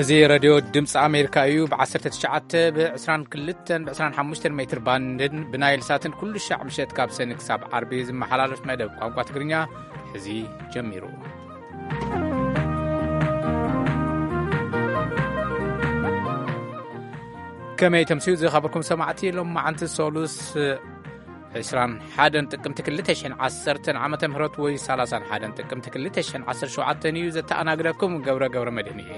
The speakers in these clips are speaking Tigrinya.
እዚ ረድዮ ድምፂ ኣሜሪካ እዩ። ብ19፣ ብ22፣ ብ25 ሜትር ባንድን ብናይል ሳትን ኩሉ ሻዕ ምሸት ካብ ሰኒ ክሳብ ዓርቢ ዝመሓላለፍ መደብ ቋንቋ ትግርኛ ሕዚ ጀሚሩ። ከመይ ተምስዩ ዝኸበርኩም ሰማዕቲ፣ ሎም መዓንቲ ሶሉስ 21 ጥቅምቲ 2010 ዓመተ ምህረት ወይ 31 ጥቅምቲ 2017 እዩ። ዘተኣናግደኩም ገብረ ገብረ መድህን እየ።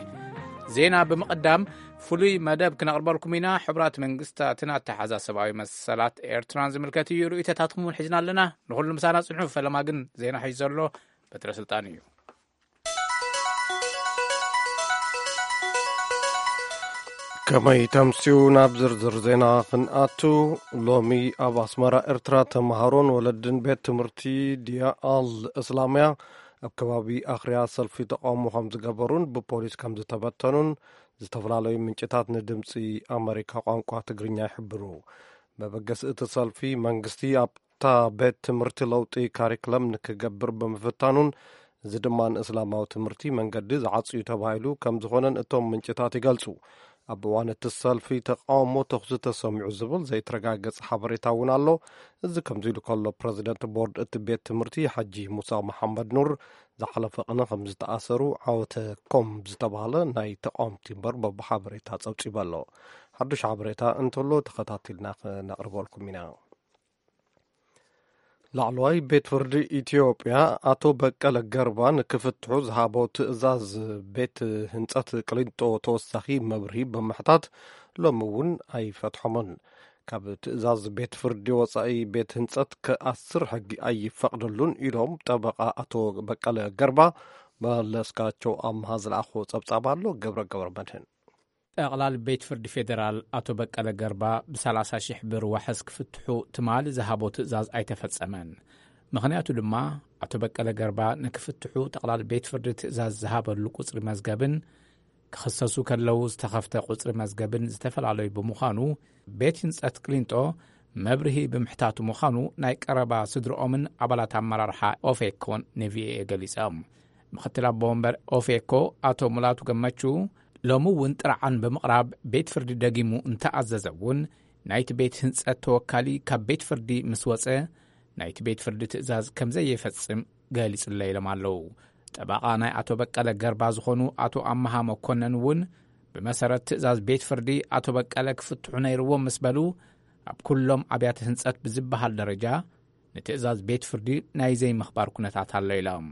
ዜና ብምቕዳም ፍሉይ መደብ ክነቕርበልኩም ኢና። ሕቡራት መንግስታትን ኣተሓዛ ሰብኣዊ መሰላት ኤርትራን ዝምልከት እዩ። ርእይቶታትኩም እውን ሒዝና ኣለና። ንኹሉ ምሳና ጽንሑ። ፈለማ ግን ዜና ሒዙ ዘሎ በትረ ስልጣን እዩ። ከመይ ተምስዩ። ናብ ዝርዝር ዜና ክንኣቱ፣ ሎሚ ኣብ ኣስመራ ኤርትራ ተምሃሮን ወለድን ቤት ትምህርቲ ዲያ ኣል እስላምያ ኣብ ከባቢ ኣኽርያ ሰልፊ ተቃውሞ ከም ዝገበሩን ብፖሊስ ከም ዝተበተኑን ዝተፈላለዩ ምንጭታት ንድምፂ ኣመሪካ ቋንቋ ትግርኛ ይሕብሩ። መበገሲ እቲ ሰልፊ መንግስቲ ኣብታ ቤት ትምህርቲ ለውጢ ካሪክለም ንክገብር ብምፍታኑን እዚ ድማ ንእስላማዊ ትምህርቲ መንገዲ ዝዓፅዩ ተባሂሉ ከም ዝኾነን እቶም ምንጭታት ይገልፁ። ኣብ እዋን እቲ ሰልፊ ተቃውሞ ተኹሲ ተሰሚዑ ዝብል ዘይተረጋገጸ ሓበሬታ እውን ኣሎ። እዚ ከምዚ ኢሉ ከሎ፣ ፕረዚደንት ቦርድ እቲ ቤት ትምህርቲ ሓጂ ሙሳ መሓመድ ኑር ዝሓለፈ ቅነ ከም ዝተኣሰሩ ዓወተ ኮም ዝተባህለ ናይ ተቃወምቲ መርበብ ሓበሬታ ጸብጺቡ ኣሎ። ሓዱሽ ሓበሬታ እንተሎ ተኸታቲልና ክነቕርበልኩም ኢና። ላዕለዋይ ቤት ፍርዲ ኢትዮጵያ ኣቶ በቀለ ገርባ ንክፍትሑ ዝሃቦ ትእዛዝ ቤት ህንጸት ቅሊንጦ ተወሳኺ መብርሂ ብምሕታት ሎሚ እውን ኣይፈትሖምን። ካብ ትእዛዝ ቤት ፍርዲ ወጻኢ ቤት ህንጸት ክኣስር ሕጊ ኣይፈቕደሉን ኢሎም ጠበቓ ኣቶ በቀለ ገርባ። መለስካቸው ኣምሃ ዝለኣኾ ጸብጻብ ኣሎ። ገብረ ገብረ መድህን። ጠቕላል ቤት ፍርዲ ፌደራል ኣቶ በቀለ ገርባ ብ30 ሺሕ ብር ዋሕስ ክፍትሑ ትማሊ ዝሃቦ ትእዛዝ ኣይተፈጸመን። ምኽንያቱ ድማ ኣቶ በቀለ ገርባ ንክፍትሑ ጠቕላል ቤት ፍርዲ ትእዛዝ ዝሃበሉ ቁጽሪ መዝገብን ክኽሰሱ ከለዉ ዝተኸፍተ ቁጽሪ መዝገብን ዝተፈላለዩ ብምዃኑ ቤት ህንጸት ቅሊንጦ መብርሂ ብምሕታቱ ምዃኑ ናይ ቀረባ ስድርኦምን ኣባላት ኣመራርሓ ኦፌኮን ንቪኦኤ ገሊጾም። ምኽትል ኣቦ ወንበር ኦፌኮ ኣቶ ሙላቱ ገመቹ ሎሚ እውን ጥርዓን ብምቕራብ ቤት ፍርዲ ደጊሙ እንተኣዘዘ እውን ናይቲ ቤት ህንጸት ተወካሊ ካብ ቤት ፍርዲ ምስ ወጸ ናይቲ ቤት ፍርዲ ትእዛዝ ከም ዘየፈጽም ገሊጹለይ ኢሎም ኣለዉ። ጠበቓ ናይ ኣቶ በቀለ ገርባ ዝኾኑ ኣቶ ኣመሃ መኮነን እውን ብመሰረት ትእዛዝ ቤት ፍርዲ ኣቶ በቀለ ክፍትሑ ነይርዎም ምስ በሉ ኣብ ኩሎም ኣብያተ ህንጸት ብዝበሃል ደረጃ ንትእዛዝ ቤት ፍርዲ ናይ ዘይምኽባር ኩነታት ኣሎ ኢሎም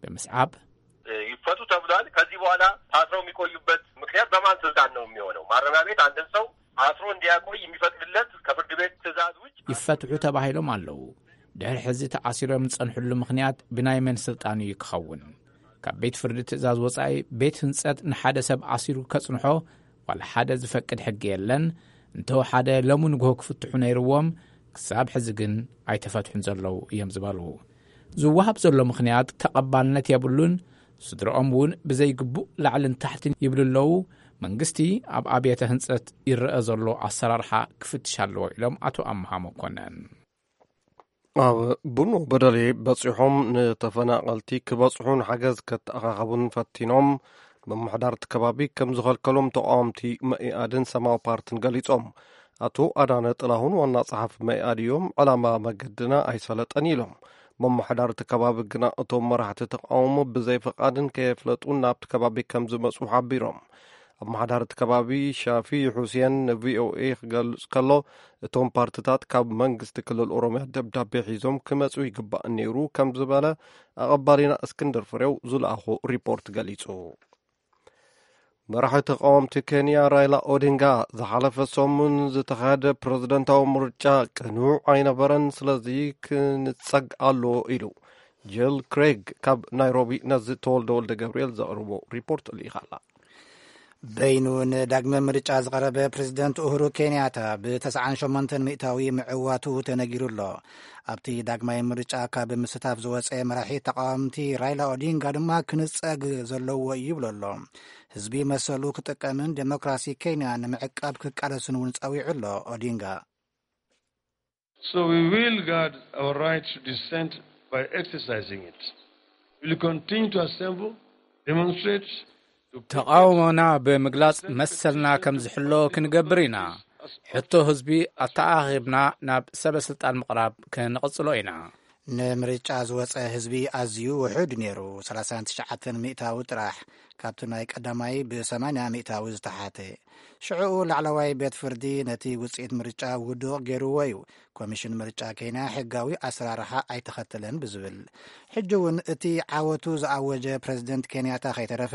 ብምስዓብ ይፈቱ ተብሏል። ከዚህ በኋላ ታስረው የሚቆዩበት ምክንያት በማን ስልጣን ነው የሚሆነው? ማረሚያ ቤት አንድን ሰው አስሮ እንዲያቆይ የሚፈቅድለት ከፍርድ ቤት ትእዛዝ ውጭ ይፈትሑ ተባሂሎም ኣለዉ። ድሕሪ ሕዚ ተኣሲሮም ዝጸንሕሉ ምኽንያት ብናይ መን ስልጣን እዩ ክኸውን? ካብ ቤት ፍርዲ ትእዛዝ ወጻኢ ቤት ህንጸት ንሓደ ሰብ ኣሲሩ ከጽንሖ ዋላ ሓደ ዝፈቅድ ሕጊ የለን። እንተወሓደ ሎሚ ንግሆ ክፍትሑ ነይርዎም፣ ክሳብ ሕዚ ግን ኣይተፈትሑን ዘለዉ እዮም ዝበሉ። ዝወሃብ ዘሎ ምኽንያት ተቐባልነት የብሉን። ስድርኦም እውን ብዘይግቡእ ላዕልን ታሕትን ይብሉ ኣለዉ። መንግስቲ ኣብ ኣብያተ ህንጸት ይረአ ዘሎ ኣሰራርሓ ክፍትሽ ኣለዎ ኢሎም ኣቶ ኣምሃ መኮነን። ኣብ ቡኖ በደሌ በጺሖም ንተፈናቐልቲ ክበጽሑን ሓገዝ ከተኣኻኸቡን ፈቲኖም ምምሕዳር እቲ ከባቢ ከም ዝኸልከሎም ተቃወምቲ መኢኣድን ሰማያዊ ፓርትን ገሊጾም። ኣቶ ኣዳነ ጥላሁን ዋና ጸሓፊ መኢኣድ እዮም። ዕላማ መገድና ኣይሰለጠን ኢሎም። ምምሕዳር እቲ ከባቢ ግና እቶም መራሕቲ ተቃውሞ ብዘይ ፍቓድን ከየፍለጡን ናብቲ ከባቢ ከም ዝመጹ ሓቢሮም። ኣመሓዳሪ እቲ ከባቢ ሻፊ ሑሴን ንቪኦኤ ክገልጽ ከሎ፣ እቶም ፓርትታት ካብ መንግስቲ ክልል ኦሮምያ ደብዳቤ ሒዞም ክመጹ ይግባእ ነይሩ ከም ዝበለ ኣቐባሊና እስክንድር ፍሬው ዝለኣኾ ሪፖርት ገሊጹ። መራሒ ተቃወምቲ ኬንያ ራይላ ኦዲንጋ ዝሓለፈ ሰሙን ዝተኻየደ ፕረዚደንታዊ ምርጫ ቅኑዕ ኣይነበረን፣ ስለዚ ክንጸግ ኣሎ ኢሉ። ጅል ክሬግ ካብ ናይሮቢ ነዚ ተወልደ ወልደ ገብርኤል ዘቕርቦ ሪፖርት ልኢኻ ኣላ። በይኑ ንዳግመ ምርጫ ዝቐረበ ፕሬዚደንት ኡሁሩ ኬንያታ ብ98 ሚእታዊ ምዕዋቱ ተነጊሩ ኣሎ። ኣብቲ ዳግማይ ምርጫ ካብ ምስታፍ ዝወፀ መራሒ ተቃወምቲ ራይላ ኦዲንጋ ድማ ክንፀግ ዘለዎ እዩ ይብሎ ኣሎ። ህዝቢ መሰሉ ክጥቀምን ዴሞክራሲ ኬንያ ንምዕቃብ ክቃለስን እውን ፀዊዑ ኣሎ ኦዲንጋ። So we will guard our right to dissent by exercising it. We will continue to assemble, demonstrate, ተቓውሞና ብምግላጽ መሰልና ከም ዝሕሎ ክንገብር ኢና። ሕቶ ህዝቢ ኣተኣኻኺብና ናብ ሰበ ስልጣን ምቕራብ ክንቕጽሎ ኢና። ንምርጫ ዝወጸ ህዝቢ ኣዝዩ ውሑድ ነይሩ፣ ሰላሳን ትሽዓተን ሚእታዊ ጥራሕ፣ ካብቲ ናይ ቀዳማይ ብ ሰማንያ ሚእታዊ ዝተሓተ። ሽዕኡ ላዕለዋይ ቤት ፍርዲ ነቲ ውጽኢት ምርጫ ውዱቕ ገይርዎ እዩ። ኮሚሽን ምርጫ ኬንያ ሕጋዊ ኣሰራርሓ ኣይተኸተለን ብዝብል፣ ሕጂ እውን እቲ ዓወቱ ዝኣወጀ ፕረዚደንት ኬንያታ ከይተረፈ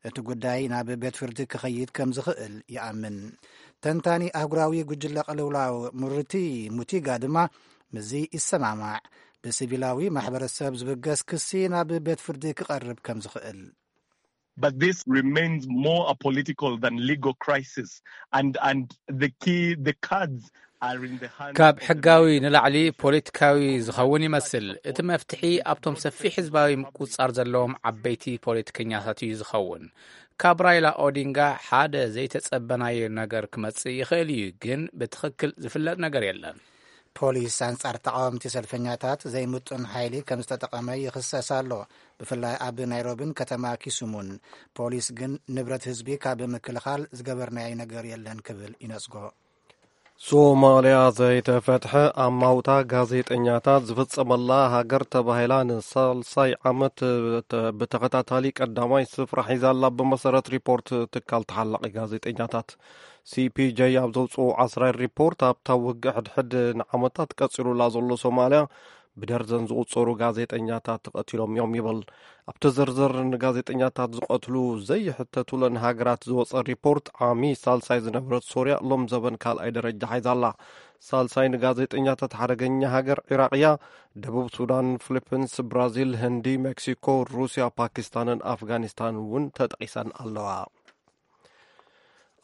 እቲ ጉዳይ ናብ ቤት ፍርዲ ክኸይድ ከም ዝኽእል ይኣምን። ተንታኒ ኣህጉራዊ ጉጅለ ቅልውላው ሙርቲ ሙቲጋ ድማ ምስዚ ይሰማማዕ። ብሲቪላዊ ማሕበረሰብ ዝብገስ ክሲ ናብ ቤት ፍርዲ ክቐርብ ከም ዝኽእል። But this remains more a political than legal crisis, and and the key the cards are in the hands. ካብ ሕጋዊ ንላዕሊ ፖለቲካዊ ዝኸውን ይመስል። እቲ መፍትሒ ኣብቶም ሰፊሕ ህዝባዊ ምቁጽጻር ዘለዎም ዓበይቲ ፖለቲከኛታት እዩ ዝኸውን። ካብ ራይላ ኦዲንጋ ሓደ ዘይተጸበናዮ ነገር ክመጽእ ይኽእል እዩ፣ ግን ብትኽክል ዝፍለጥ ነገር የለን። ፖሊስ ኣንጻር ተቓወምቲ ሰልፈኛታት ዘይምጡን ሓይሊ ከም ዝተጠቐመ ይኽሰስ ኣሎ፣ ብፍላይ ኣብ ናይሮቢን ከተማ ኪሱሙን። ፖሊስ ግን ንብረት ህዝቢ ካብ ምክልኻል ዝገበርናዮ ነገር የለን ክብል ይነጽጎ። ሶማልያ ዘይተፈትሐ ኣማውታ ጋዜጠኛታት ዝፍጸመላ ሃገር ተባሂላ ንሳልሳይ ዓመት ብተኸታታሊ ቀዳማይ ስፍራ ሒዛላ፣ ብመሰረት ሪፖርት ትካል ተሓላቒ ጋዜጠኛታት። ሲፒጀ ኣብ ዘውፅኦ ዓስራይ ሪፖርት፣ ኣብታ ውግእ ሕድሕድ ንዓመታት ቀፂሉላ ዘሎ ሶማልያ ብደርዘን ዝቑጸሩ ጋዜጠኛታት ተቐቲሎም እዮም ይብል። ኣብቲ ዝርዝር ንጋዜጠኛታት ዝቐትሉ ዘይሕተቱለን ሃገራት ዝወጸ ሪፖርት፣ ዓሚ ሳልሳይ ዝነበረት ሶርያ ሎም ዘበን ካልኣይ ደረጃ ሓይዛላ። ሳልሳይ ንጋዜጠኛታት ሓደገኛ ሃገር ዒራቕ እያ። ደቡብ ሱዳን፣ ፊሊፒንስ፣ ብራዚል፣ ህንዲ፣ ሜክሲኮ፣ ሩስያ፣ ፓኪስታንን ኣፍጋኒስታን እውን ተጠቒሰን ኣለዋ።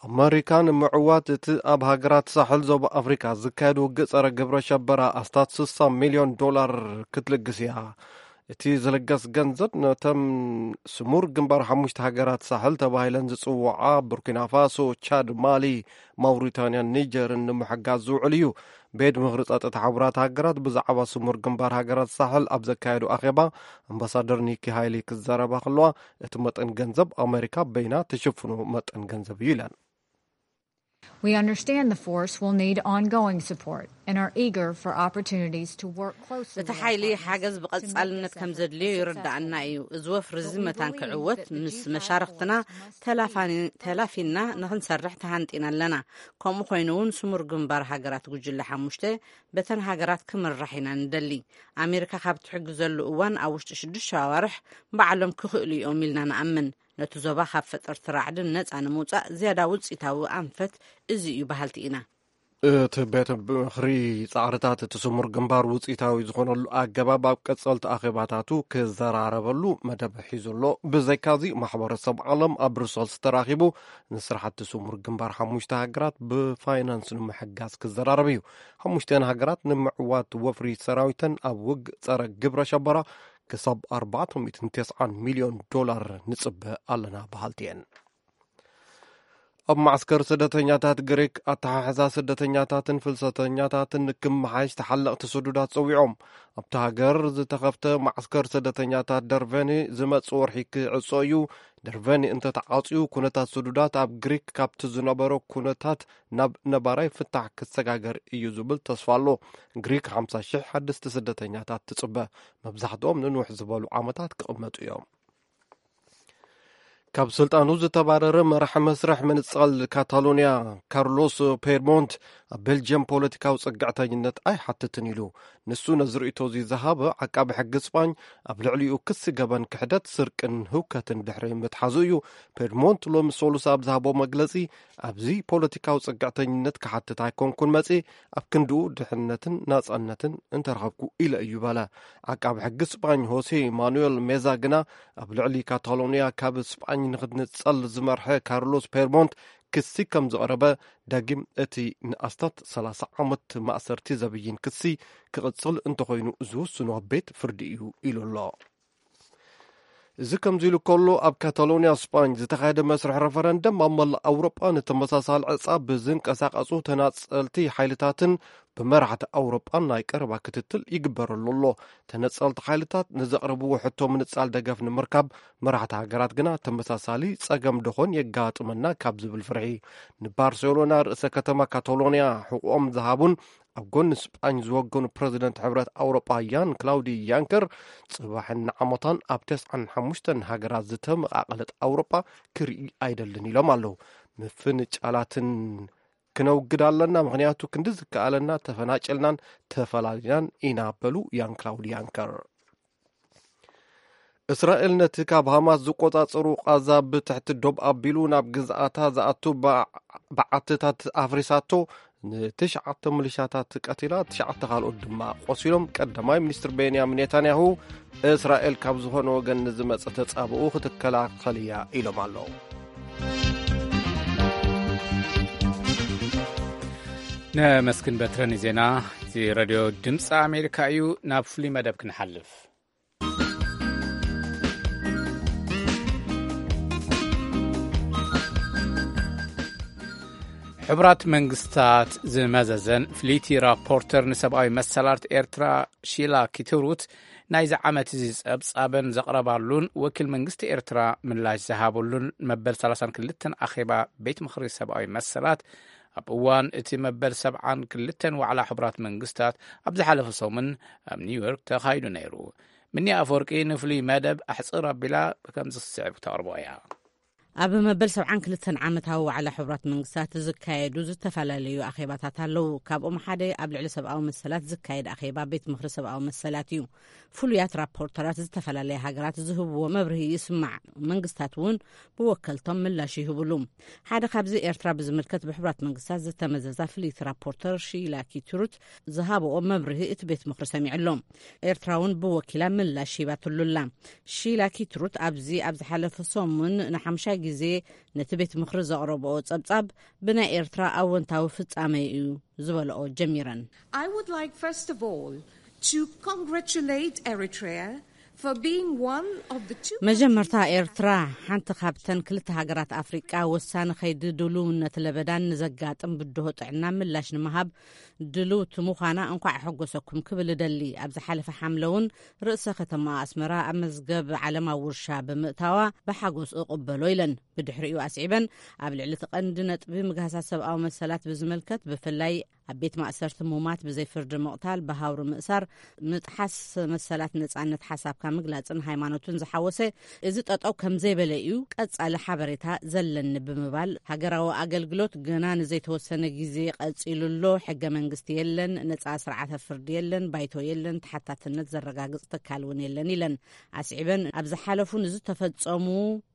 ኣመሪካ ንምዕዋት እቲ ኣብ ሃገራት ሳሕል ዞባ ኣፍሪካ ዝካየድ ውግእ ጸረ ግብረ ሸበራ ኣስታት ስሳ ሚልዮን ዶላር ክትልግስ እያ። እቲ ዝልገስ ገንዘብ ነተን ስሙር ግንባር ሓሙሽተ ሃገራት ሳሕል ተባሂለን ዝጽውዓ ቡርኪና ፋሶ፣ ቻድ፣ ማሊ፣ ማውሪታንያን ኒጀርን ንምሕጋዝ ዝውዕል እዩ። ቤት ምኽሪ ጸጥታ ሕቡራት ሃገራት ብዛዕባ ስሙር ግንባር ሃገራት ሳሕል ኣብ ዘካየዶ ኣኼባ ኣምባሳደር ኒኪ ሃይሊ ክዛረባ ከለዋ፣ እቲ መጠን ገንዘብ ኣመሪካ በይና ትሽፍኖ መጠን ገንዘብ እዩ ኢለን። We understand the force will need ongoing support and are eager for opportunities to work closely. እቲ ሓይሊ ሓገዝ ብቐጻልነት ከም ዘድልዮ ይርዳኣና እዩ። እዚ ወፍሪ እዚ መታን ክዕወት ምስ መሻርኽትና ተላፊና ንኽንሰርሕ ተሃንጢና ኣለና። ከምኡ ኮይኑ እውን ስሙር ግንባር ሃገራት ጉጅለ ሓሙሽተ በተን ሃገራት ክምራሕ ኢና ንደሊ። ኣሜሪካ ካብ ትሕግዘሉ እዋን ኣብ ውሽጢ ሽዱሽተ ኣዋርሕ ባዕሎም ክኽእሉ እዮም ኢልና ንኣምን። ነቲ ዞባ ካብ ፈጠርቲ ራዕድን ነጻ ንምውጻእ ዝያዳ ውጽኢታዊ ኣንፈት እዚ እዩ በሃልቲ ኢና። እቲ ቤት ምኽሪ ጻዕርታት እቲ ስሙር ግንባር ውጽኢታዊ ዝኾነሉ ኣገባብ ኣብ ቀጸልቲ ኣኼባታቱ ክዘራረበሉ መደብ ሒዙ ኣሎ። ብዘይካዚ ማሕበረሰብ ዓለም ኣብ ብሩሰልስ ተራኺቡ ንስራሕቲ ስሙር ግንባር ሓሙሽተ ሃገራት ብፋይናንስ ንምሕጋዝ ክዘራረብ እዩ። ሓሙሽተን ሃገራት ንምዕዋት ወፍሪ ሰራዊተን ኣብ ውግ ጸረ ግብረ ሸበራ ክሳብ ኣርባዕተ ሚእትን ተስዓን ሚልዮን ዶላር ንጽበ ኣለና በሃልቲ እየን። ኣብ ማዕስከር ስደተኛታት ግሪክ ኣተሓሕዛ ስደተኛታትን ፍልሰተኛታትን ክመሓየሽ ተሓለቕቲ ስዱዳት ጸዊዖም። ኣብቲ ሃገር ዝተኸፍተ ማዕስከር ስደተኛታት ደርቨኒ ዝመጽእ ወርሒ ክዕጾ እዩ። ደርቨኒ እንተተዓጽዩ፣ ኩነታት ስዱዳት ኣብ ግሪክ ካብቲ ዝነበሮ ኩነታት ናብ ነባራይ ፍታሕ ክሰጋገር እዩ ዝብል ተስፋ ኣሎ። ግሪክ ሓምሳ ሽሕ ሓደስቲ ስደተኛታት ትጽበ። መብዛሕትኦም ንንውሕ ዝበሉ ዓመታት ክቕመጡ እዮም። ካብ ስልጣኑ ዝተባረረ መራሒ መስርሕ ምንጻል ካታሎንያ ካርሎስ ፔርሞንት ኣብ ቤልጅየም ፖለቲካዊ ጽግዕተኝነት ኣይሓትትን ኢሉ። ንሱ ነዚ ርእይቶ እዚ ዝሃበ ዓቃቢ ሕጊ ስጳኝ ኣብ ልዕሊኡ ክሲ ገበን ክሕደት፣ ስርቅን ህውከትን ድሕሪ ምትሓዙ እዩ። ፔርሞንት ሎሚ ሰሉስ ኣብ ዝሃቦ መግለጺ፣ ኣብዚ ፖለቲካዊ ጽግዕተኝነት ክሓትት ኣይኮንኩን መጺ፣ ኣብ ክንድኡ ድሕነትን ናጻነትን እንተረኸብኩ ኢለ እዩ በለ። ዓቃቢ ሕጊ ስጳኝ ሆሴ ማኑኤል ሜዛ ግና ኣብ ልዕሊ ካታሎንያ ካብ ስጳኝ ንክትንጸል ዝመርሐ ካርሎስ ፔርሞንት ክሲ ከም ዝቐረበ ዳግም እቲ ንኣስታት ሰላሳ ዓመት ማእሰርቲ ዘብይን ክሲ ክቕጽል እንተኾይኑ ዝውስኖ ቤት ፍርዲ እዩ ኢሉ ኣሎ። እዚ ከምዚ ኢሉ ከሎ፣ ኣብ ካታሎንያ ስጳኝ ዝተኻየደ መስርሕ ረፈረንደም ኣብ መላእ ኣውሮጳ ንተመሳሳሊ ዕጻ ብዝንቀሳቐሱ ተናጸልቲ ሓይልታትን ብመራሕቲ ኣውሮጳ ናይ ቀረባ ክትትል ይግበረሉ ኣሎ። ተነጸልቲ ሓይልታት ንዘቕርብዎ ሕቶ ምንጻል ደገፍ ንምርካብ፣ መራሕቲ ሃገራት ግና ተመሳሳሊ ጸገም ደኾን የጋጥመና ካብ ዝብል ፍርሒ፣ ንባርሴሎና ርእሰ ከተማ ካታሎንያ ሕቖኦም ዝሃቡን ኣብ ጎኒ ስጳኝ ዝወገኑ ፕረዚደንት ሕብረት ኣውሮጳ ያን ክላውዲ ያንከር፣ ጽባሕን ንዓመታን ኣብ ተስዓን ሓሙሽተን ሃገራት ዝተመቓቐለት ኣውሮጳ ክርኢ ኣይደልን ኢሎም ኣለዉ። ምፍንጫላትን ክነውግድ ኣለና፣ ምኽንያቱ ክንዲ ዝከኣለና ተፈናጨልናን ተፈላሊናን ኢና በሉ ያን ክላውድ ያንከር። እስራኤል ነቲ ካብ ሃማስ ዝቆጻጸሩ ቃዛ ብትሕቲ ዶብ ኣቢሉ ናብ ግዝኣታ ዝኣቱ በ-፣ በዓትታት ኣፍሪሳቶ፣ ንትሽዓተ ሚሊሻታት ቀቲላ፣ ትሽዓተ ካልኦት ድማ ቆሲሎም። ቀዳማይ ሚኒስትር ቤንያሚን ኔታንያሁ እስራኤል ካብ ዝኾነ ወገን ንዝመጸ ተጻብኦ ክትከላኸል እያ ኢሎም ኣለዉ። ነመስግን በትረን ዜና። እዚ ሬድዮ ድምፂ ኣሜሪካ እዩ። ናብ ፍሉይ መደብ ክንሓልፍ። ሕቡራት መንግስታት ዝመዘዘን ፍልይቲ ራፖርተር ንሰብኣዊ መሰላት ኤርትራ ሺላ ኪትሩት፣ ናይዚ ዓመት እዚ ጸብጻበን ዘቕረባሉን ወኪል መንግስቲ ኤርትራ ምላሽ ዝሃበሉን መበል ሰላሳን ክልተን ኣኼባ ቤት ምኽሪ ሰብኣዊ መሰላት፣ ኣብ እዋን እቲ መበል ሰብዓን ክልተን ዋዕላ ሕቡራት መንግስታት ኣብ ዝሓለፈ ሰሙን ኣብ ኒውዮርክ ተኻይዱ ነይሩ። ምኒ ኣፈወርቂ ንፍሉይ መደብ ኣሕጽር ኣቢላ ከምዚ ዝስዕብ ክተቕርቦ እያ። ኣብ መበል ሰብዓን ክልተን ዓመታዊ ዋዕላ ሕቡራት መንግስታት ዝካየዱ ዝተፈላለዩ ኣኼባታት ኣለዉ። ካብኦም ሓደ ኣብ ልዕሊ ሰብኣዊ መሰላት ዝካየድ ኣኼባ ቤት ምኽሪ ሰብኣዊ መሰላት እዩ። ፍሉያት ራፖርተራት ዝተፈላለያ ሃገራት ዝህብዎ መብርሂ ይስማዕ። መንግስታት እውን ብወከልቶም ምላሽ ይህብሉ። ሓደ ካብዚ ኤርትራ ብዝምልከት ብሕቡራት መንግስታት ዝተመዘዛ ፍልይቲ ራፖርተር ሺላ ኪትሩት ዝሃብኦ መብርሂ እቲ ቤት ምኽሪ ሰሚዑ ኣሎ። ኤርትራ እውን ብወኪላ ምላሽ ሂባትሉ ኣላ። ሺላ ኪትሩት ኣብዚ ኣብ ዝሓለፈ ሰሙን ንሓምሻይ ግዜ ነቲ ቤት ምኽሪ ዘቕረብኦ ጸብጻብ ብናይ ኤርትራ ኣወንታዊ ፍጻመ እዩ ዝበልኦ ጀሚረን። I would like, first of all, to congratulate Eritrea for being one of the two መጀመርታ፣ countries ኤርትራ ሓንቲ ካብተን ክልተ ሃገራት ኣፍሪቃ ወሳኒ ከይዲ ድልውነት ለበዳን ንዘጋጥም ብድሆ ጥዕና ምላሽ ንምሃብ ድልውቲ ምዃና እንኳዕ ኣሐጎሰኩም ክብል እደሊ። ኣብ ዝሓለፈ ሓምለ እውን ርእሰ ከተማ ኣስመራ ኣብ መዝገብ ዓለማዊ ውርሻ ብምእታዋ ብሓጎስ እቕበሎ ኢለን። ብድሕሪኡ ኣስዒበን፣ ኣብ ልዕሊ እቲ ቀንዲ ነጥቢ ምግሃሳት ሰብኣዊ መሰላት ብዝምልከት፣ ብፍላይ ኣብ ቤት ማእሰርቲ ሙማት ብዘይ ፍርዲ ምቕታል፣ ብሃውሪ ምእሳር፣ ምጥሓስ መሰላት ነጻነት ሓሳብካ ምግላጽን ሃይማኖትን ዝሓወሰ፣ እዚ ጠጠው ከም ዘይበለ እዩ ቀጻሊ ሓበሬታ ዘለኒ ብምባል፣ ሃገራዊ ኣገልግሎት ገና ንዘይተወሰነ ግዜ ቀጺሉ ኣሎ። ሕገ መንግስቲ የለን፣ ነጻ ስርዓተ ፍርዲ የለን፣ ባይቶ የለን፣ ተሓታትነት ዘረጋግጽ ትካል እውን የለን ኢለን። ኣስዒበን፣ ኣብ ዝሓለፉ ንዝተፈጸሙ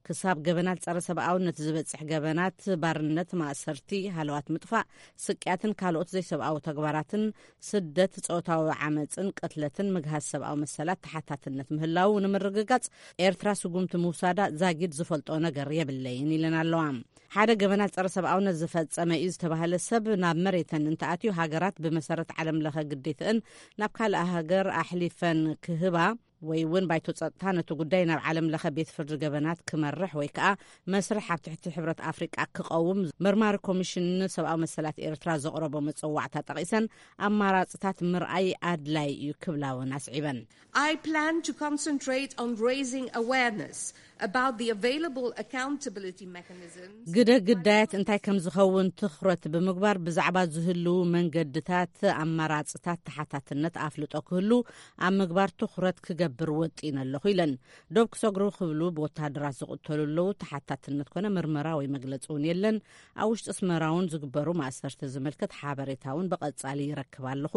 ክሳብ ገበናት ጸረ ሰብኣውነት ዝበጽሕ ገበናት፣ ባርነት፣ ማእሰርቲ፣ ሃለዋት ምጥፋእ፣ ስቅያትን ካልኦት ዘይሰብኣዊ ተግባራትን፣ ስደት፣ ጾታዊ ዓመጽን ቅትለትን፣ ምግሃስ ሰብኣዊ መሰላት ተሓታትነት ምህላዉ ንምርግጋጽ ኤርትራ ስጉምቲ ምውሳዳ ዛጊድ ዝፈልጦ ነገር የብለይን ኢለን ኣለዋ። ሓደ ገበናት ጸረ ሰብኣውነት ዝፈጸመ እዩ ዝተባህለ ሰብ ናብ መሬተን እንተኣትዩ፣ ሃገራት ብመሰረት ዓለም ለኸ ግዴትአን ናብ ካልእ ሃገር ኣሕሊፈን ክህባ ወይ እውን ባይቶ ጸጥታ ነቲ ጉዳይ ናብ ዓለም ለኸ ቤት ፍርዲ ገበናት ክመርሕ ወይ ከኣ መስርሕ ኣብ ትሕቲ ሕብረት ኣፍሪቃ ክቐውም መርማሪ ኮሚሽን ሰብኣዊ መሰላት ኤርትራ ዘቕረቦ መጸዋዕታ ጠቒሰን፣ ኣማራጽታት ምርኣይ ኣድላይ እዩ ክብላ እውን ኣስዒበን። I plan to concentrate on raising awareness about the available accountability mechanisms. ግደ ግዳያት እንታይ ከም ዝኸውን ትኹረት ብምግባር፣ ብዛዕባ ዝህልዉ መንገድታት፣ ኣማራጽታት ተሓታትነት ኣፍልጦ ክህሉ ኣብ ምግባር ትኹረት ክገብር ወጢነ ኣለኹ ኢለን። ዶብ ክሰግሩ ክብሉ ብወተሃደራት ዝቕተሉ ኣለዉ። ተሓታትነት ኮነ ምርመራ ወይ መግለጺ እውን የለን። ኣብ ውሽጢ ኣስመራ እውን ዝግበሩ ማእሰርቲ ዝምልከት ሓበሬታ እውን ብቐጻሊ ይረክብ ኣለኹ።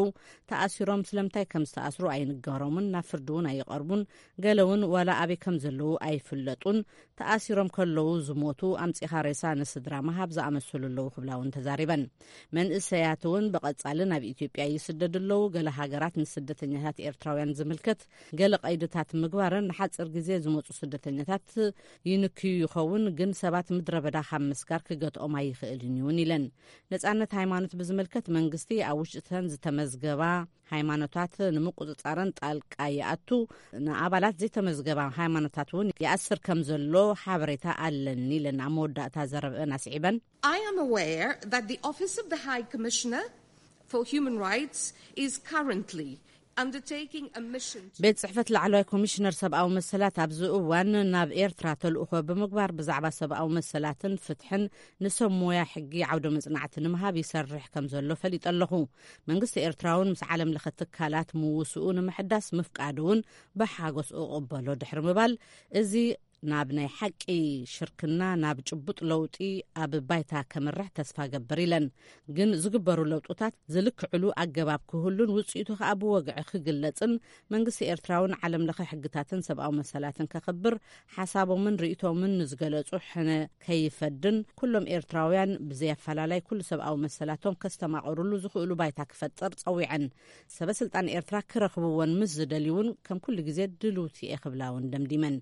ተኣሲሮም ስለምንታይ ከም ዝተኣስሩ ኣይንገሮምን፣ ናብ ፍርዲ እውን ኣይቐርቡን። ገለ እውን ዋላ ኣበይ ከም ዘለዉ ኣይፍለጡን። ተኣሲሮም ከለዉ ዝሞቱ፣ ኣምጺኻ ሬሳ ንስድራ ምሃብ ዝኣመሰሉ ኣለዉ ክብላ እውን ተዛሪበን። መንእሰያት እውን ብቐጻሊ ናብ ኢትዮጵያ ይስደዱ ኣለዉ። ገለ ሃገራት ንስደተኛታት ኤርትራውያን ዝምልከት ገለ ቀይድታት ምግባረን ንሓጺር ግዜ ዝመጹ ስደተኛታት ይንክዩ ይኸውን፣ ግን ሰባት ምድረ በዳ ካብ ምስጋር ክገትኦም ኣይኽእልን እዩን ኢለን። ነጻነት ሃይማኖት ብዝምልከት መንግስቲ ኣብ ውሽጥተን ዝተመዝገባ ሃይማኖታት ንምቁጽጻረን ጣልቃ ይኣቱ፣ ንኣባላት ዘይተመዝገባ ሃይማኖታት እውን ይኣስር ከም ዘሎ ሓበሬታ ኣለኒ ኢለን ኣብ መወዳእታ ዘረብአን ኣስዒበን። I am aware that the Office of the High Commissioner for Human Rights is currently undertaking a mission to ቤት ጽሕፈት ላዕለዋይ ኮሚሽነር ሰብኣዊ መሰላት ኣብዚ እዋን ናብ ኤርትራ ተልእኾ ብምግባር ብዛዕባ ሰብኣዊ መሰላትን ፍትሕን ንሰብ ሞያ ሕጊ ዓውደ መጽናዕቲ ንምሃብ ይሰርሕ ከም ዘሎ ፈሊጠ ኣለኹ። መንግስቲ ኤርትራ እውን ምስ ዓለም ለኸ ትካላት ምውስኡ ንምሕዳስ ምፍቃዱ እውን ብሓጎስ እቕበሎ ድሕሪ ምባል፣ እዚ ናብ ናይ ሓቂ ሽርክና፣ ናብ ጭቡጥ ለውጢ ኣብ ባይታ ከምርሕ ተስፋ ገብር ኢለን። ግን ዝግበሩ ለውጥታት ዝልክዕሉ ኣገባብ ክህሉን ውጽኢቱ ከኣ ብወግዒ ክግለጽን መንግስቲ ኤርትራውን ዓለም ለኸ ሕግታትን ሰብኣዊ መሰላትን ከኽብር ሓሳቦምን ርእይቶምን ንዝገለጹ ሕነ ከይፈድን ኩሎም ኤርትራውያን ብዘይ ኣፈላላይ ኩሉ ሰብኣዊ መሰላቶም ከስተማቕሩሉ ዝኽእሉ ባይታ ክፈጥር ጸዊዐን። ሰበ ስልጣን ኤርትራ ክረኽብዎን ምስ ዝደልዩ እውን ከም ኩሉ ግዜ ድልውቲ እየ ክብላ እውን ደምዲመን።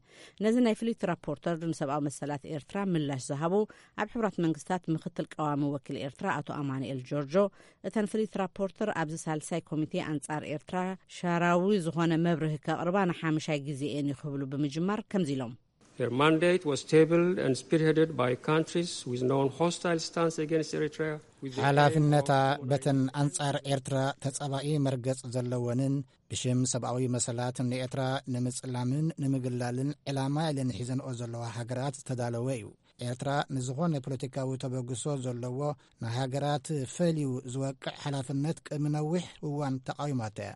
ነዚ ናይ ፍሊት ራፖርተር ንሰብኣዊ መሰላት ኤርትራ ምላሽ ዝሃቡ ኣብ ሕቡራት መንግስታት ምክትል ቀዋሚ ወኪል ኤርትራ ኣቶ ኣማኑኤል ጆርጆ፣ እተን ፍሊት ራፖርተር ኣብዚ ሳልሳይ ኮሚቴ ኣንጻር ኤርትራ ሻራዊ ዝኾነ መብርሂ ከቕርባ ንሓምሻይ ግዜ እየን ክብሉ ብምጅማር ከምዚ ኢሎም። Their mandate was tabled and spearheaded by countries with known hostile stance against Eritrea, with the aim ሓላፍነታ of በተን ኣንጻር ኤርትራ ተጻባኢ መርገጽ ዘለወንን ብሽም ሰብኣዊ መሰላት ንኤርትራ ንምጽላምን ንምግላልን ዕላማ ኢለን ሒዘንኦ ዘለዋ ሃገራት ዝተዳለወ እዩ። ኤርትራ ንዝኾነ ፖለቲካዊ ተበግሶ ዘለዎ ንሃገራት ፈልዩ ዝወቅዕ ሓላፍነት ቅድሚ ነዊሕ እዋን ተቃዊማቶ እያ።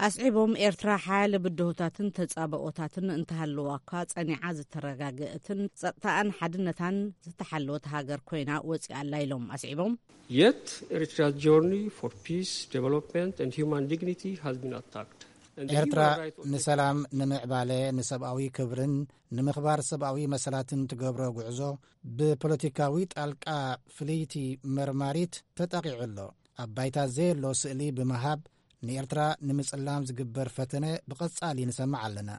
ኣስዒቦም፣ ኤርትራ ሓያለ ብድሆታትን ተጻብኦታትን እንተሃለዋ እኳ ጸኒዓ ዝተረጋገአትን ጸጥታኣን ሓድነታን ዝተሓለወት ሃገር ኮይና ወጺኣ ኣላ ኢሎም ኣስዒቦም። Yet Eritrea's journey for peace, development and human dignity has been attacked. And the ኤርትራ human rights of ንሰላም፣ ንምዕባለ፣ ንሰብኣዊ ክብርን ንምኽባር ሰብኣዊ መሰላትን ትገብሮ ጉዕዞ ብፖለቲካዊ ጣልቃ ፍልይቲ መርማሪት ተጠቒዑ ኣሎ። ኣብ ባይታ ዘየሎ ስእሊ ብምሃብ ንኤርትራ ንምጽላም ዝግበር ፈተነ ብቐጻሊ ንሰምዕ ኣለና።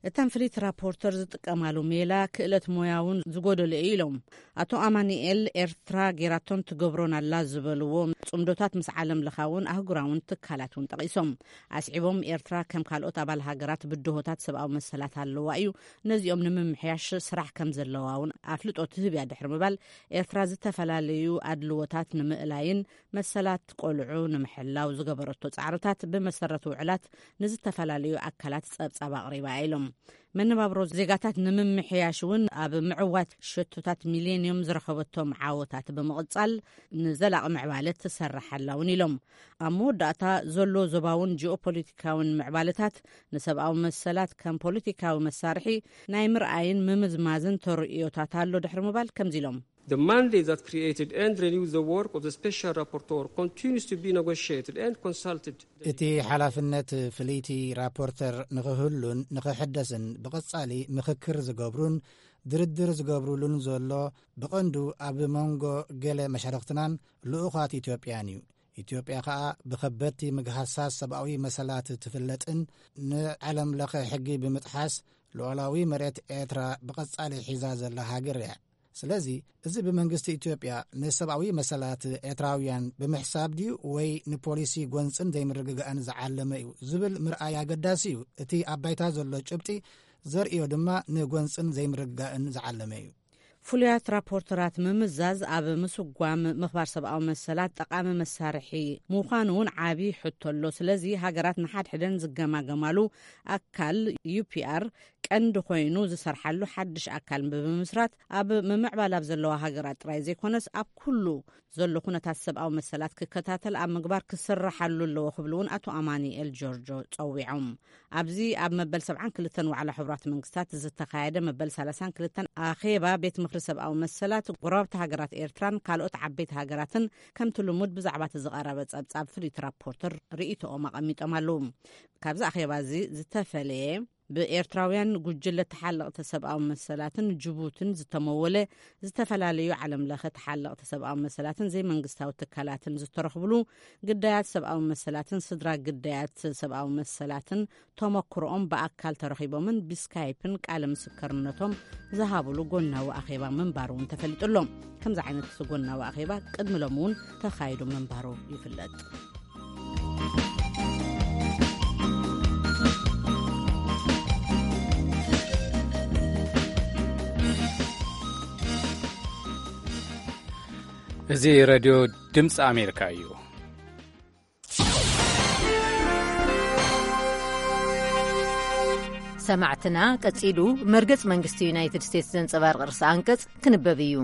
እተን ፍሊት ራፖርተር ዝጥቀማሉ ሜላ ክእለት ሞያ እውን ዝጎደሎ እዩ ኢሎም። ኣቶ ኣማኑኤል ኤርትራ ጌራቶን ትገብሮን ኣላ ዝበልዎ ጽምዶታት ምስ ዓለም ለኻውን ኣህጉራውን ትካላት እውን ጠቒሶም። ኣስዒቦም፣ ኤርትራ ከም ካልኦት ኣባል ሃገራት ብድሆታት ሰብኣዊ መሰላት ኣለዋ እዩ፣ ነዚኦም ንምምሕያሽ ስራሕ ከም ዘለዋ እውን ኣፍልጦ ትህብ እያ ድሕሪ ምባል፣ ኤርትራ ዝተፈላለዩ ኣድልዎታት ንምእላይን መሰላት ቆልዑ ንምሕላው ዝገበረቶ ጻዕርታት ብመሰረት ውዕላት ንዝተፈላለዩ ኣካላት ጸብጻብ ኣቕሪባ እያ ኢሎም። መነባብሮ ዜጋታት ንምምሕያሽ እውን ኣብ ምዕዋት ሸቶታት ሚሌንዮም ዝረኸበቶም ዓወታት ብምቕጻል ንዘላቒ ምዕባለ ትሰርሕ ኣላ እውን ኢሎም። ኣብ መወዳእታ ዘሎ ዞባውን ጂኦፖለቲካውን ምዕባለታት ንሰብኣዊ መሰላት ከም ፖለቲካዊ መሳርሒ ናይ ምርኣይን ምምዝማዝን ተርእዮታት ኣሎ ድሕሪ ምባል ከምዚ ኢሎም። The mandate that created and renewed the work of the Special Rapporteur continues to be negotiated and consulted. እቲ ሓላፍነት ፍልይቲ ራፖርተር ንኽህሉን ንኽሕደስን ብቐጻሊ ምኽክር ዝገብሩን ድርድር ዝገብሩሉን ዘሎ ብቐንዱ ኣብ መንጎ ገለ መሻርኽትናን ልኡኻት ኢትዮጵያን እዩ። ኢትዮጵያ ኸኣ ብኸበድቲ ምግሃሳት ሰብኣዊ መሰላት ትፍለጥን ንዓለም ለኸ ሕጊ ብምጥሓስ ልዑላዊ መሬት ኤርትራ ብቐጻሊ ሒዛ ዘላ ሃገር እያ። ስለዚ እዚ ብመንግስቲ ኢትዮጵያ ንሰብኣዊ መሰላት ኤርትራውያን ብምሕሳብ ድዩ ወይ ንፖሊሲ ጎንጽን ዘይምርግጋእን ዝዓለመ እዩ ዝብል ምርኣይ ኣገዳሲ እዩ። እቲ ኣብ ባይታ ዘሎ ጭብጢ ዘርእዮ ድማ ንጎንጽን ዘይምርግጋእን ዝዓለመ እዩ። ፍሉያት ራፖርተራት ምምዛዝ ኣብ ምስጓም ምኽባር ሰብኣዊ መሰላት ጠቓሚ መሳርሒ ምዃኑ እውን ዓቢ ሕቶ ኣሎ። ስለዚ ሃገራት ንሓድሕደን ዝገማገማሉ ኣካል ዩ ፒ ኣር ቀንዲ ኮይኑ ዝሰርሓሉ ሓድሽ ኣካል ብምምስራት ኣብ ምምዕባል ኣብ ዘለዋ ሃገራት ጥራይ ዘይኮነስ ኣብ ኩሉ ዘሎ ኩነታት ሰብኣዊ መሰላት ክከታተል ኣብ ምግባር ክስርሓሉ ኣለዎ ክብሉ እውን ኣቶ ኣማኒኤል ጆርጆ ጸዊዖም። ኣብዚ ኣብ መበል ሰብዓን ክልተን ዋዕላ ሕቡራት መንግስታት ዝተኻየደ መበል ሰላሳን ክልተን ኣኼባ ቤት ምኽሪ ሰብኣዊ መሰላት ጎረባብቲ ሃገራት ኤርትራን ካልኦት ዓበይቲ ሃገራትን ከምቲ ልሙድ ብዛዕባ እቲ ዝቐረበ ጸብጻብ ፍልይቲ ራፖርተር ርእይቶኦም ኣቐሚጦም ኣለዉ። ካብዚ ኣኼባ እዚ ዝተፈለየ ብኤርትራውያን ጉጅለ ተሓለቕቲ ሰብኣዊ መሰላትን ጅቡትን ዝተመወለ ዝተፈላለዩ ዓለም ለኸ ተሓለቕቲ ሰብኣዊ መሰላትን ዘይመንግስታዊ ትካላትን ዝተረኽብሉ ግዳያት ሰብኣዊ መሰላትን ስድራ ግዳያት ሰብኣዊ መሰላትን ተመክሮኦም ብኣካል ተረኺቦምን ብስካይፕን ቃለ ምስክርነቶም ዝሃብሉ ጎናዊ ኣኼባ ምንባሩ እውን ተፈሊጡ ኣሎ። ከምዚ ዓይነት ጎናዊ ኣኼባ ቅድሚ ሎሚ እውን ተኻይዱ ምንባሩ ይፍለጥ። እዚ ሬድዮ ድምፂ ኣሜሪካ እዩ። ሰማዕትና፣ ቀጺሉ መርገጽ መንግስቲ ዩናይትድ ስቴትስ ዘንጸባርቕ ርእሰ ኣንቀጽ ክንበብ እዩ።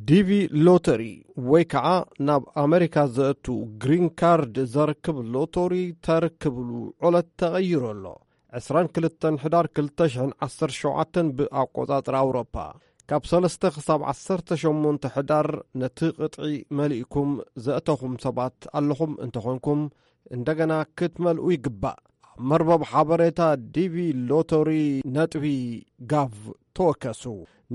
ዲቪ ሎተሪ ወይ ከዓ ናብ ኣመሪካ ዘእቱ ግሪን ካርድ ዘርክብ ሎተሪ ተርክብሉ ዕለት ተቐይሩ ኣሎ። ዕስራን ክልተን ሕዳር ክልተ ሽሕን ዓሰርተ ሸውዓተን ብኣቆጻጽራ ኣውሮፓ፣ ካብ ሰለስተ ክሳብ ዓሰርተ ሸሞንተ ሕዳር ነቲ ቅጥዒ መሊእኩም ዘእተኹም ሰባት ኣለኹም እንተኾንኩም፣ እንደገና ክትመልኡ ይግባእ። ኣብ መርበብ ሓበሬታ ዲቪ ሎተሪ ነጥቢ ጋቭ ተወከሱ።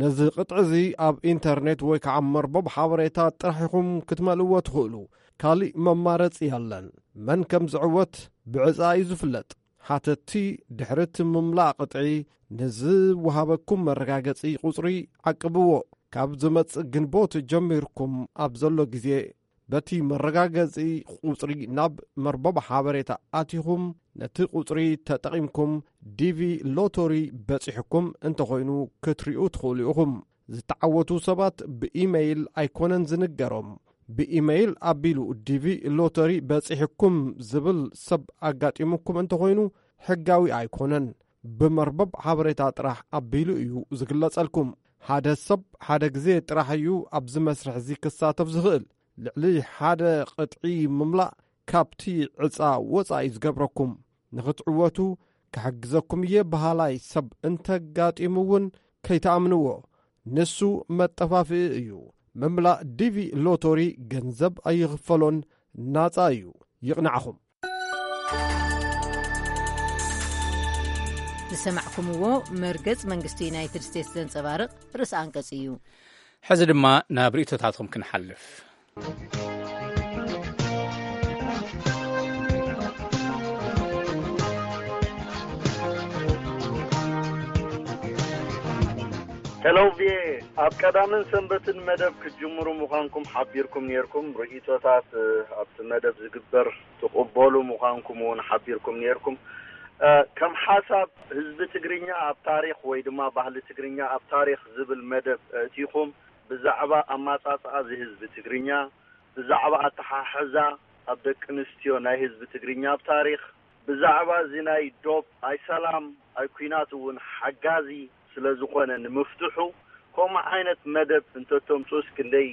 ነዚ ቅጥዒ እዚ ኣብ ኢንተርኔት ወይ ከዓ መርበብ ሓበሬታ ጥራሕ ኢኹም ክትመልእዎ ትኽእሉ። ካሊእ መማረፂ የለን። መን ከም ዝዕወት ብዕፃ እዩ ዝፍለጥ። ሓተቲ ድሕሪ እቲ ምምላእ ቅጥዒ ንዝወሃበኩም መረጋገፂ ቁፅሪ ዓቅብዎ። ካብ ዝመጽእ ግንቦት ጀሚርኩም ኣብ ዘሎ ግዜ፣ በቲ መረጋገጺ ቁጽሪ ናብ መርበብ ሓበሬታ ኣቲኹም፣ ነቲ ቁጽሪ ተጠቒምኩም ዲቪ ሎተሪ በጺሕኩም እንተኾይኑ ክትሪኡ ትኽእሉ ኢኹም። ዝተዓወቱ ሰባት ብኢመይል ኣይኮነን ዝንገሮም። ብኢመይል ኣቢሉ ዲቪ ሎተሪ በጺሕኩም ዝብል ሰብ ኣጋጢሙኩም እንተኾይኑ፣ ሕጋዊ ኣይኮነን። ብመርበብ ሓበሬታ ጥራሕ ኣቢሉ እዩ ዝግለጸልኩም። ሓደ ሰብ ሓደ ግዜ ጥራሕ እዩ ኣብዚ መስርሕ እዚ ክሳተፍ ዝኽእል። ልዕሊ ሓደ ቅጥዒ ምምላእ ካብቲ ዕጻ ወጻኢ ዝገብረኩም። ንኽትዕወቱ ክሕግዘኩም እየ በሃላይ ሰብ እንተጋጢሙ እውን ከይትኣምንዎ። ንሱ መጠፋፍኢ እዩ። ምምላእ ዲቪ ሎቶሪ ገንዘብ ኣይኽፈሎን፣ ናጻ እዩ። ይቕናዕኹም። ዝሰማዕኩምዎ መርገጽ መንግስቲ ዩናይትድ ስቴትስ ዘንጸባርቕ ርእሰ ኣንቀጽ እዩ። ሕዚ ድማ ናብ ርእይቶታትኩም ክንሓልፍ። ሄሎ ቪኤ፣ ኣብ ቀዳምን ሰንበትን መደብ ክትጅምሩ ምዃንኩም ሓቢርኩም ነይርኩም። ርእይቶታት፣ እ፣ ኣብቲ መደብ ዝግበር ትቕበሉ ምዃንኩም እውን ሓቢርኩም ነይርኩም። እ፣ ከም ሓሳብ፣ ህዝቢ ትግርኛ ኣብ ታሪኽ ወይ ድማ ባህሊ ትግርኛ ኣብ ታሪኽ ዝብል መደብ ኣእቲኹም፣ ብዛዕባ ኣማጻጽኣ እዚ ህዝቢ ትግርኛ፣ ብዛዕባ ኣተሓሕዛ ኣብ ደቂ ኣንስትዮ ናይ ህዝቢ ትግርኛ ኣብ ታሪኽ፣ ብዛዕባ እዚ ናይ ዶብ ኣይ ሰላም ኣይ ኲናት እውን ሓጋዚ ስለ ዝኾነ ንምፍትሑ፣ ከምኡ ዓይነት መደብ እንተተምጽኡስ ክንደይ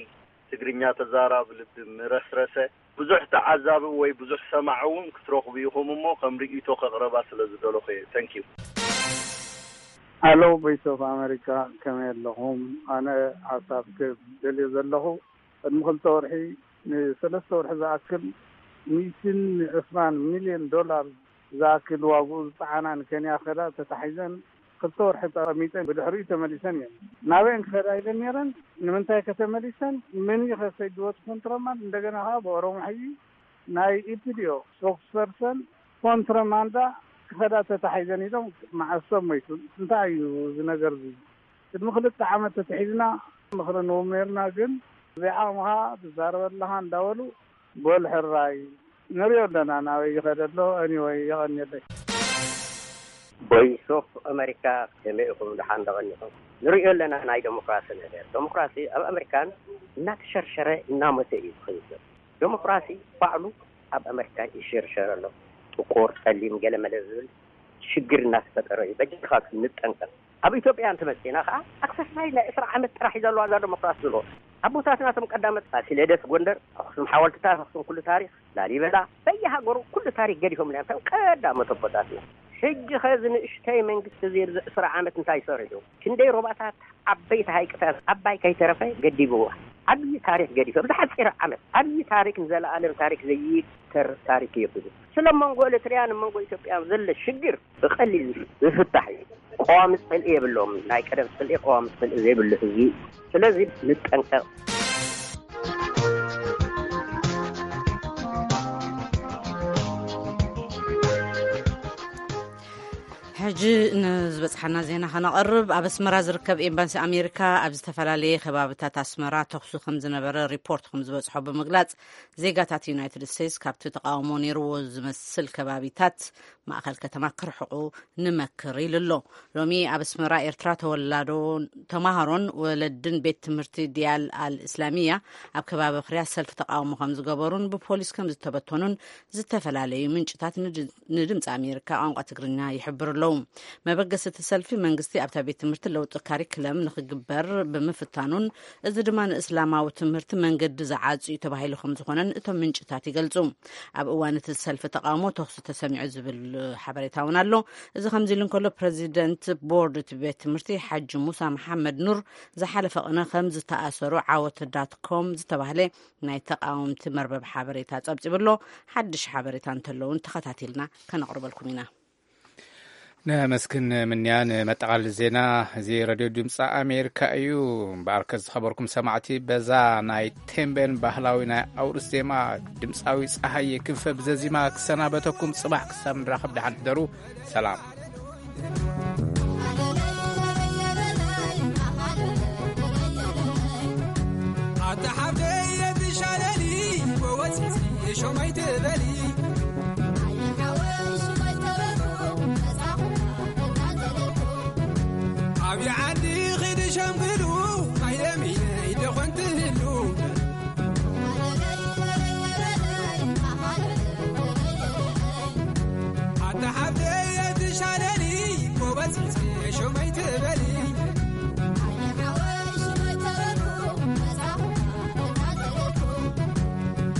ትግርኛ ተዛራቢ ልቢ ምረስረሰ። ብዙሕ ተዓዛቢ ወይ ብዙሕ ሰማዒ እውን ክትረኽቡ ኢኹም እሞ፣ ከም ርእይቶ ከቕረባ ስለ ዝደለኹ እየ። Thank you። ሃሎ፣ ቮይስ ኦፍ ኣመሪካ፣ ከመይ ኣለኹም? ኣነ ሓሳብ ክደልዮ ዘለኹ፣ ቅድሚ ክልተ ወርሒ፣ ንሰለስተ ወርሒ ዝኣክል፣ ሚእትን ዕስራን ሚልዮን ዶላር ዝኣክል ዋግኡ ዝጸዓና ንኬንያ ከዳ ተታሒዘን ክልተ ወርሒ ተቐሚጠን ብድሕሪኡ ተመሊሰን እየን። ናበየን ክኸዳ ኢለን ነይረን? ንምንታይ ከተመሊሰን? መን እዩ ከሰይድዎ እቲ ኮንትሮባንድ? እንደገና ከኣ ብኦሮሞ ሕጂ ናይ ኢፒዲኦ ስፖክስፐርሰን ኮንትሮባንዳ ክኸዳ ተታሒዘን ኢሎም መዓስ ሰብ ሞይቱ? እንታይ እዩ እዚ ነገር እዚ? ቅድሚ ክልተ ዓመት ተታሒዝና ምኽሪ ንህቦም ነይርና፣ ግን ዘይዓቕምኻ ትዛረብ ኣለኻ እንዳበሉ በሉ ሕራይ ንሪኦ ኣለና ናበይ ይኸደ ኣሎ። Anyway፣ የቐንየለይ። ቮይስ ኦፍ ኣመሪካ፣ ከመይ ኢኹም? ደሓን ዶ ቀኒኹም? ንሪኦ ኣለና ናይ ዴሞክራሲ ነገር። ዴሞክራሲ ኣብ ኣመሪካን እናተሸርሸረ እናሞተ እዩ ዝኸይድ ዘሎ። ዴሞክራሲ ባዕሉ ኣብ ኣመሪካ ይሽርሸር ኣሎ። ጥቁር፣ ጸሊም፣ ገለመለ ዝብል ሽግር እናተፈጠረ እዩ። በጃኻ ንጠንቀቕ። ኣብ ኢትዮጵያ እንተመጺእና ከኣ ኣክሰስናይ ናይ ዕስራ ዓመት ጥራሕ እዩ ዘለዋ እዛ ዴሞክራሲ ዝሎ። ኣቦታትና እቶም ቀዳመት ፋሲለደስ ጎንደር፣ ኣኽሱም ሓወልትታት፣ ኣኽሱም ኩሉ ታሪኽ፣ ላሊበላ፣ በየሃገሩ ኩሉ ታሪኽ ገዲፎምልና እዮም እቶም ቀዳሞት ኣቦታትና። ሕጂ ኸዚ ንእሽተይ መንግስቲ እዚ ኣብዚ ዕስራ ዓመት እንታይ ሰሪሑ? ክንደይ ሮባታት፣ ዓበይቲ ሃይቅታት፣ ዓባይ ከይተረፈ ገዲብዋ። ዓብዪ ታሪኽ ገዲፈ፣ ብዝሓፂር ዓመት ዓብዪ ታሪኽ፣ ንዘለኣለም ታሪኽ ዘይተር ታሪኽ እዩ። ስለ መንጎ ኤርትራያን መንጎ ኢትዮጵያን ዘሎ ሽግር ብቐሊል ዝፍታሕ እዩ። ቀዋሚ ጽልኢ የብሎም። ናይ ቀደም ጽልኢ፣ ቀዋሚ ጽልኢ ዘይብሉ ህዝቢ እዩ። ስለዚ ንጠንቀቕ። ሕጂ ንዝበጽሓና ዜና ከነቐርብ፣ ኣብ ኣስመራ ዝርከብ ኤምባሲ ኣሜሪካ ኣብ ዝተፈላለየ ከባብታት ኣስመራ ተኹሲ ከም ዝነበረ ሪፖርት ከም ዝበጽሖ ብምግላጽ፣ ዜጋታት ዩናይትድ ስቴትስ ካብቲ ተቃውሞ ነይርዎ ዝመስል ከባቢታት ማእከል ከተማ ክርሕቁ ንመክር ኢሉ ኣሎ። ሎሚ ኣብ ኣስመራ ኤርትራ ተወላዶ ተማሃሮን ወለድን ቤት ትምህርቲ ዲያል ኣል እስላሚያ ኣብ ከባቢ ክርያ ሰልፊ ተቃውሞ ከም ዝገበሩን ብፖሊስ ከም ዝተበተኑን ዝተፈላለዩ ምንጭታት ንድ-፣ ንድምፂ ኣሜሪካ ቋንቋ ትግርኛ ይሕብሩ ኣለዉ። መበገሲ እቲ ሰልፊ መንግስቲ ኣብታ ቤት ትምህርቲ ለውጢ ካሪክለም ንኽግበር ብምፍታኑን እዚ ድማ ንእስላማዊ ትምህርቲ መንገዲ ዝዓጽዩ ተባሂሉ ከም ዝኾነን እቶም ምንጭታት ይገልጹ። ኣብ እዋን እቲ ሰልፊ ተቃውሞ ተኹሲ ተሰሚዑ ዝብል ሓበሬታ እውን ኣሎ። እዚ ከምዚ ኢሉ እንከሎ ፕሬዚደንት ቦርድ እቲ ቤት ትምህርቲ ሓጂ ሙሳ መሓመድ ኑር ዝሓለፈ ቅነ ከም ዝተኣሰሩ ዓወት ዳት ኮም ዝተባህለ ናይ ተቃወምቲ መርበብ ሓበሬታ ጸብጺቡ ኣሎ። ሓድሽ ሓበሬታ እንተለውን ተኸታቲልና ከነቕርበልኩም ኢና። ነመስግን ምንያ። ንመጠቓለሊ ዜና፣ እዚ ሬድዮ ድምፂ ኣሜሪካ እዩ። እምበኣርከ ዝኸበርኩም ሰማዕቲ፣ በዛ ናይ ቴምቤን ባህላዊ ናይ ኣውርስ ዜማ ድምፃዊ ፀሃየ ክንፈ ብዘዚማ ክሰናበተኩም። ፅባሕ ክሳብ ንራኸብ ደሓን ሕደሩ። ሰላም። ኣታ ሓብተይ የትሻለሊ ወወፂፂ ሾመይ ትበሊ። ኣብ ዓዲ ኺድ ሸምግሉ ማይ ለሚነይ ደኾን ትህሉ። ኣታ ሓብተይ የትሻለሊ ጎበዝ ሸመይ ትበሊ።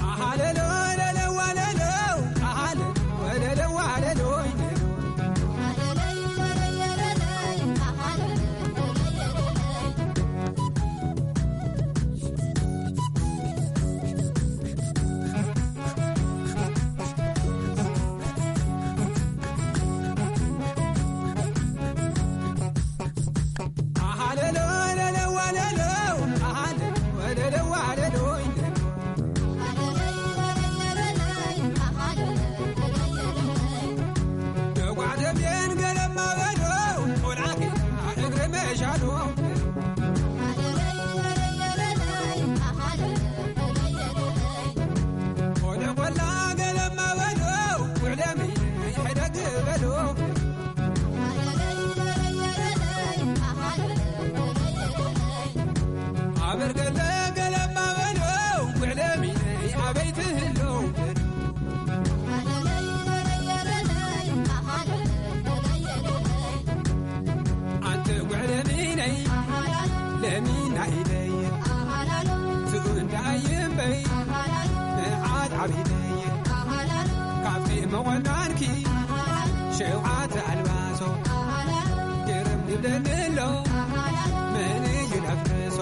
ኣሃለሎ ለለዋ ለሎ ኣሃለ ወለለዋ ለሎ። ኣበርገለ ገለማ በሎ ውዕለሚነይ ኣበይ ትህሎ። ኣንቲ ውዕለሚነይ ለሚና ኢለይ ትእንዳ እይምበይ ንዓድ ዓቢደይ ካብቲ መቖናንኪ ሸውዓተ ኣልባሶ ግርም ይብለኒ ኣሎ መን እዩ ነፍክሶ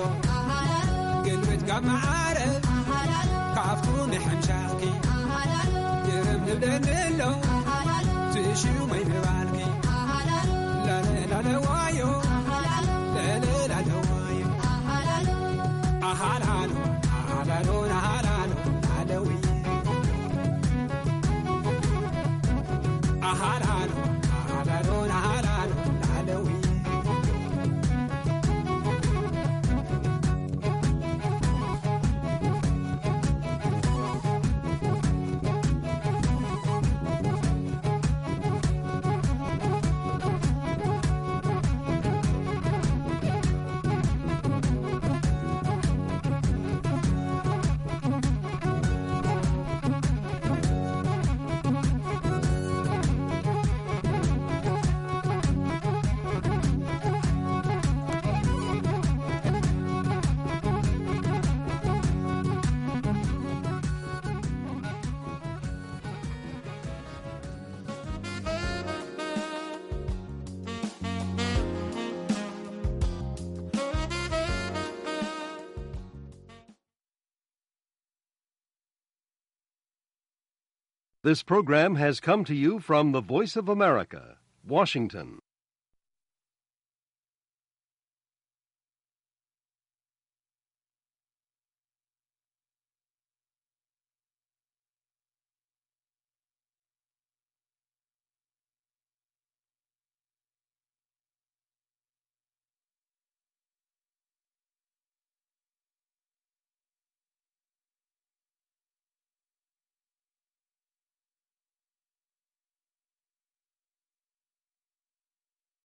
ግልብጥ ካብ መዓረ ካብቱ ምሕምሻኽኪ ግርም ይብለኒ ኣሎ ትሽመይ ምባልኪ ላለዋዮ ለለላለዋዮ ኣሃላሎ ኣሃላሎ ኣሃላሎ ኣለዊ ኣሃላሎ ኣሃላሎ ኣሃላሎ ኣለዊ This program has come to you from the Voice of America, Washington.